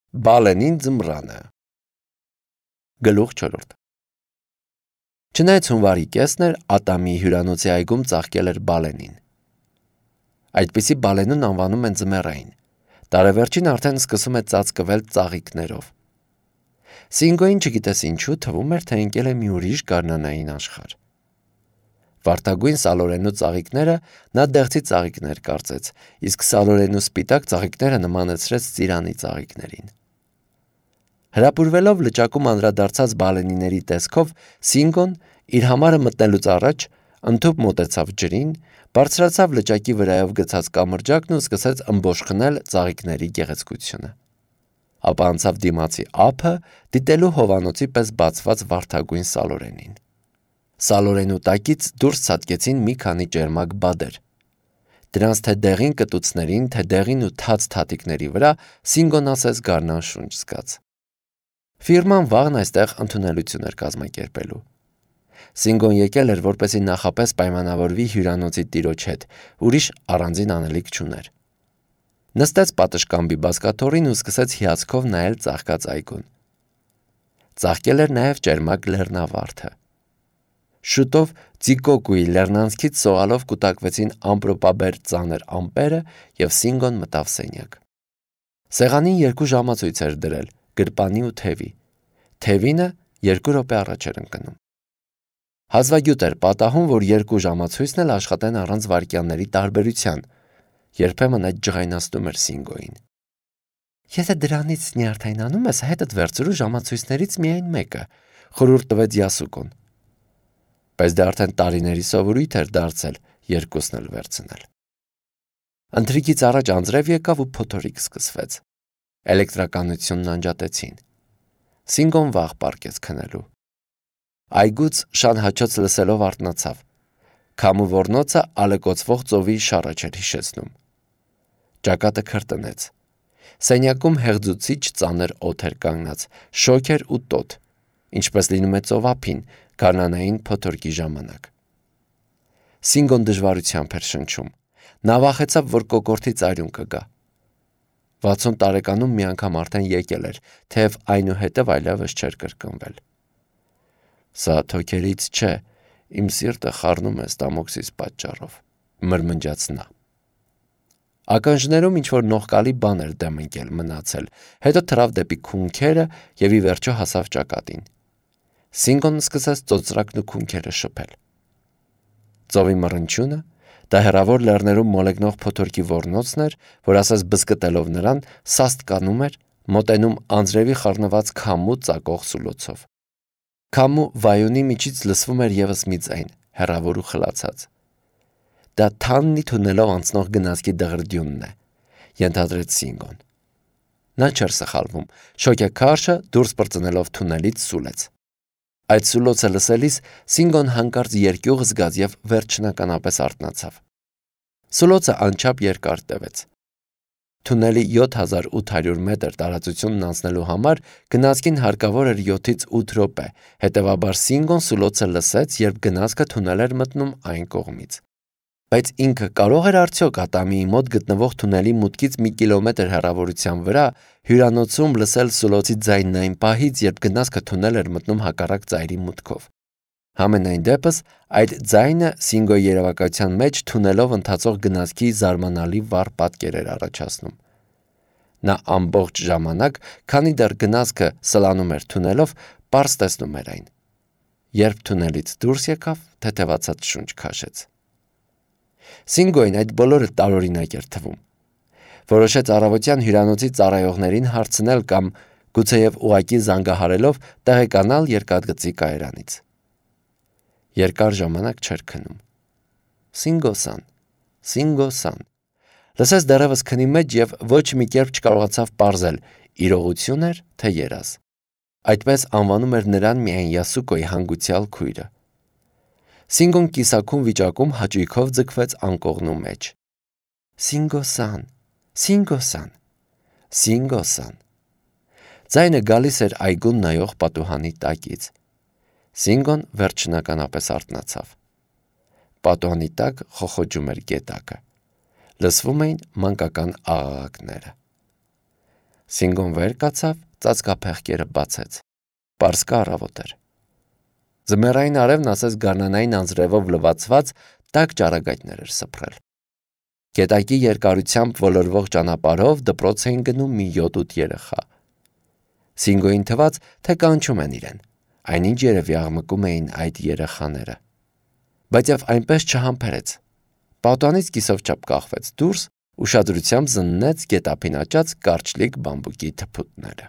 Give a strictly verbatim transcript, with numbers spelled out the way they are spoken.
Բալենին ձմռանը։ Գլուխ չորրորդ։ Չնայած հունվարի կեսն էր, Ատամի հյուրանոցի այգում ծաղկել էր Բալենին։ Այդպիսի Բալենուն անվանում են ձմեռային։ Տարեվերջին արդեն սկսում է ծածկվել ծաղիկներով։ Սինգոին չգիտես ինչու թվում էր, թե ընկել է մի ուրիշ գարնանային աշխարհ։ Վարդագույն սալորենու ծաղիկները նա դեղցի ծաղիկներ կարծեց, իսկ սալորենու սպիտակ ծաղիկները նմանեցրեց ծիրանի ծաղիկներին։ Հրապուրվելով լճակում անդրադարձած բալենիների տեսքով, Սինգոն իր համարը մտնելուց առաջ ընդհուպ մոտեցավ ջրին, բարձրացավ լճակի վրայով գցած կամրջակն ու սկսեց ըմբոշխնել ծաղիկների գեղեցկությունը։ Ապա անցավ դիմացի ափը, դիտելու հովանոցի պես բացված վարդագույն սալորենին։ Սալորենու տակից դուրս ցատկեցին մի քանի ճերմակ բադեր։ Դրանց թե դեղին կտուցներին, թե դեղին ու թաց թաթիկների վրա Սինգոն ասես գարնան շունչ զգաց։ Ֆիրման վաղն այստեղ ընդունելություն էր կազմակերպելու։ Սինգոն եկել էր, որպեսզի նախապես պայմանավորվի հյուրանոցի տիրոջ հետ, ուրիշ առանձին անելիք չուներ։ Նստեց պատշգամբի բազկաթոռին ու սկսեց հիացքով նայել ծաղկած այգուն։ Ծաղկել էր նաև ճերմակ լեռնավարդը։ Շուտով Ծիկոկուի լեռնանցքից սողալով կուտակվեցին ամպրոպաբեր ծանր ամպերը և Սինգոն մտավ սենյակ։ Սեղանին երկու ժամացույց էր դրել, գրպանի ու թևի։ Թևինը երկու րոպե առաջ էր ընկնում։ Հազվագյուտ էր պատահում, որ երկու ժամացույցն էլ աշխատեն առանց վայրկյանների տարբերության։ Երբեմն այդ ջղայնացնում էր Սինգոին։ Եթե դրանից նյարդայնանում ես, հետդ վերցրու ժամացույցներից միայն մեկը, խորհուրդ տվեց Յասուկոն։ Բայց դա արդեն տարիների սովորույթ էր դարձել երկուսն էլ վերցնել։ Ընթրիքից առաջ անձրև եկավ ու փոթորիկ սկսվեց։ Էլեկտրականությունն անջատեցին։ Սինգոն վաղ պառկեց քնելու։ Այգուց շան հաչոց լսելով արթնացավ։ Քամու ոռնոցը ալեկոծվող ծովի շառաչ էր հիշեցնում։ Ճակատը քրտնեց։ Սենյակում հեղձուցիչ ծանր օդ էր կանգնած, շոգ էր ու տոտ, ինչպես լինում է ծովափին գարնանային փոթորկի ժամանակ։ Սինգոն դժվարությամբ էր շնչում։ Նա վախեցավ, որ կոկորդի ծայրուն կգա։ վաթսուն տարեկանում մի անգամ արդեն եկել էր, թեև այնուհետև այլևս չէր կրկնվել։ Սա թոքերից չէ, իմ սիրտը խառնում է ստամոքսիս պատճառով, մրմնջաց նա։ Ականջներում ինչ-որ նողկալի բան էր դեմ ընկել մնացել, հետո թռավ դեպի քունքերը և ի վերջո հասավ ճակատին։ Սինգոն սկսեց ծոծրակն ու քունքերը շփել։ Ծովի մռնչյունը, դա հեռավոր լեռներում մոլեգնող փոթորկի ոռնոցն էր, որ ասես բզկտելով նրան, սաստ կանում էր, մոտենում անձրևի խառնված քամու ծակող սուլոցով։ Քամու վայունի միջից լսվում էր ևս մի ձայն, հեռավոր ու խլացած։ Դա թաննի թունելով անցնող գնացքի դղրդյունն է, ենթադրեց Սինգոն։ Նա չէր սխալվում, շոգեքարշը դուրս պրծնելով թունելից սուլեց։ Այդ սուլոցը լսելիս Սինգոն հանկարծ երկյուղ զգաց և վերջնականապես արթնացավ։ Սուլոցը անչափ երկար տևեց։ Թունելի յոթ հազար ութ հարյուր մետր տարածությունն անցնելու համար գնացքին հարկավոր էր յոթից ութ րոպե, հետևաբար Սինգոն սուլոցը լսեց, երբ գնացքը թունել էր մտնում այն կողմից։ Բայց ինքը կարող էր արդյոք Ատամիի մոտ գտնվող թունելի մուտքից մի կիլոմետր հեռավորության վրա հյուրանոցում լսել սուլոցի ձայնն այն պահից, երբ գնացքը թունել էր մտնում հակառակ ծայրի մուտքով։ Համենայն դեպս, այդ ձայնը Սինգոյի երևակայության մեջ թունելով ընթացող գնացքի զարմանալի վառ պատկեր էր առաջացնում։ Նա ամբողջ ժամանակ, քանի դեռ գնացքը սլանում էր թունելով, պարզ տեսնում էր այն։ Երբ թունելից դուրս եկավ, թեթևացած շունչ քաշեց։ Սինգոյին այդ բոլորը տարօրինակ էր թվում։ Որոշեց առավոտյան հյուրանոցի ծառայողներին հարցնել կամ գուցեև ուղղակի զանգահարելով տեղեկանալ երկաթգծի կայարանից։ Երկար ժամանակ չէր քնում։ Սինգո-սան, Սինգո-սան։ Լսեց դեռևս քնի մեջ և ոչ մի կերպ չկարողացավ պարզել՝ իրողություն էր, թե երազ։ Այդպես անվանում էր նրան միայն Յասուկոյի հանգուցյալ քույրը։ Սինգոն կիսաքուն վիճակում հաճույքով ձգվեց անկողնու մեջ։ Սինգո-սան, Սինգո-սան, Սինգո-սան։ Ձայնը գալիս էր այգուն նայող պատուհանի տակից։ Սինգոն վերջնականապես արթնացավ։ Պատուհանի տակ խոխոջում էր գետակը։ Լսվում էին մանկական աղաղակները։ Սինգոն վեր կացավ, ծածկափեղկերը բացեց։ Պարսկը առավոտ էր։ Ձմեռային արևն ասես գարնանային անձրևով լվացված տաք ճառագայթներ էր սփռել։ Գետակի երկարությամբ ոլորվող ճանապարհով դպրոց էին գնում մի յոթ-ութ երեխա։ Սինգոյին թվաց, թե կանչում են իրեն, այնինչ երևի աղմկում էին այդ երեխաները։ Բայց եւ այնպես չհամբերեց։ Պատուհանից կիսով չափ կախվեց դուրս, ուշադրությամբ զննեց գետափին աճած կարճլիկ բամբուկի թփուտները։